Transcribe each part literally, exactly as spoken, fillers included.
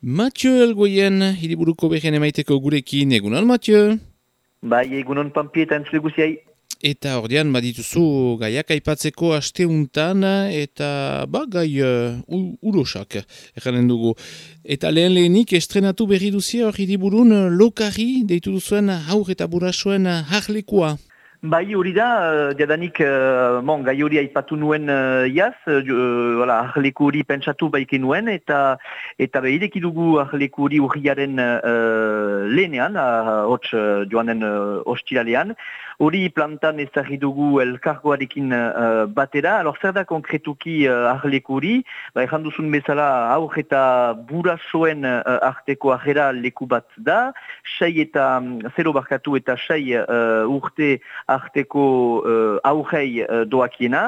Mathieu Elgoien, hiriburuko behen emaiteko gurekin, egunon Mathieu? Bai, egunon Pampi eta entzule guziai. Eta ordean badituzu gaiak aipatzeko asteuntan eta ba, gai uh, urosak erranen dugu. Eta lehen lehenik estrenatu berri duzia hor hiriburun lokari deitu duzuen haur eta burasoen harlekua. Bai, hori da, uh, jadanik, uh, bon, gai hori aipatu nuen uh, iaz, uh, voilà, arleku hori pentsatu baike nuen, eta eta behireki dugu arleku hori urriaren uh, lehenean, uh, hots uh, joanen uh, ostiralean, hori plantan ezagri dugu elkargoarekin uh, batera. Alor, zer da konkretuki uh, arleku hori, ba, erran duzun bezala aur eta burasoen uh, arteko arrera leku bat da, sei eta zero barkatu eta sei uh, urte arteko uh, aurrei uh, doakiena,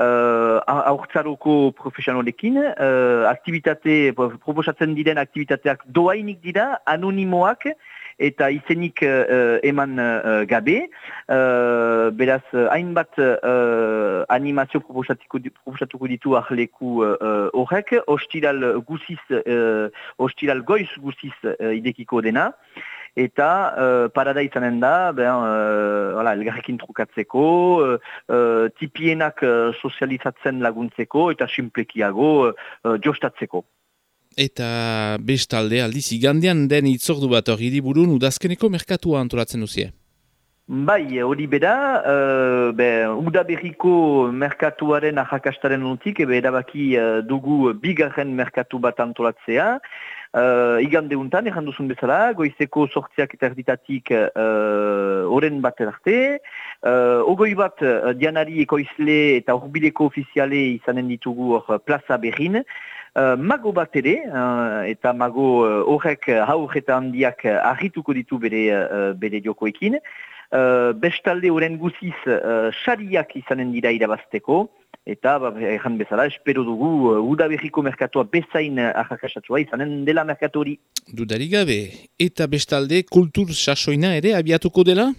uh, aurtzaroko profesionalekin, uh, aktivitate, proposatzen diren aktivitateak doainik dira, anonimoak, eta izenik uh, eman uh, gabe, uh, beraz, hainbat uh, animazio proposatuko ditu arleku horrek, uh, ostiral guziz, uh, ostiral goiz guziz uh, idekiko dena, eta uh, parada izanen da, ben, uh, voilà, elgarrekin trukatzeko, uh, uh, tipienak uh, sozializatzen laguntzeko, eta simplekiago uh, jostatzeko. Eta bestalde aldiz igandean den itzordu bat hor hiriburun udazkeneko merkatua antolatzen duzie. Bai, hori beda, uh, be, udaberriko merkatuaren ahakastaren notik, ebe erabaki uh, dugu bigarren merkatu bat antolatzea. Uh, igande untan, erran duzun bezala, goizeko sortziak eta erditatik oren uh, bat arte. Uh, ogoi bat uh, dianari ekoizle eta horbileko ofiziale izanen ditugu hor plaza berrin. Uh, mago bat ere, uh, eta mago horrek uh, haur eta handiak uh, argituko ditu bere, uh, bere jokoekin. Uh, bestalde oren guziz sariak uh, izanen dira irabazteko, eta ba, erran bezala, espero dugu uh, udaberriko merkatua bezain uh, ahakasatua izanen dela merkatu hori. Dudarik gabe, eta bestalde kultur sasoina ere abiatuko dela?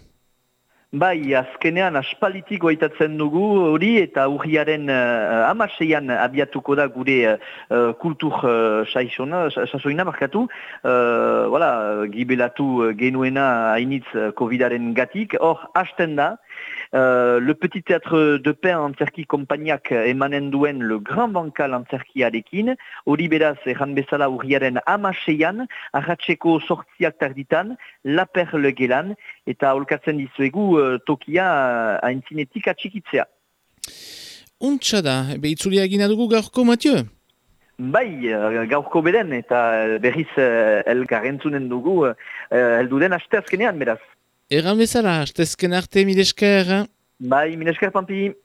Bai, azkenean aspalitik goitatzen dugu hori eta urriaren uh, amaseian abiatuko da gure uh, kultur uh, sasoina markatu. Uh, voilà, gibelatu genuena hainitz covidaren gatik. Hor, hasten da, uh, le petit théâtre de pain antzerki konpainiak emanen duen le grand bancal antzerkiarekin. Hori beraz, erran bezala urriaren amaseian, arratseko sortziak tarditan, la perle gelan, eta holkatzen dizuegu tokia haintzinetik atxikitzea. Untsa da, behitzulia egina dugu gaurko, Mathieu? Bai, gaurko beden, eta berriz elgarrentzunen dugu, elduden asteazkenean, beraz. Egan bezala, astezken arte, milesker. Bai, milesker, Pampi.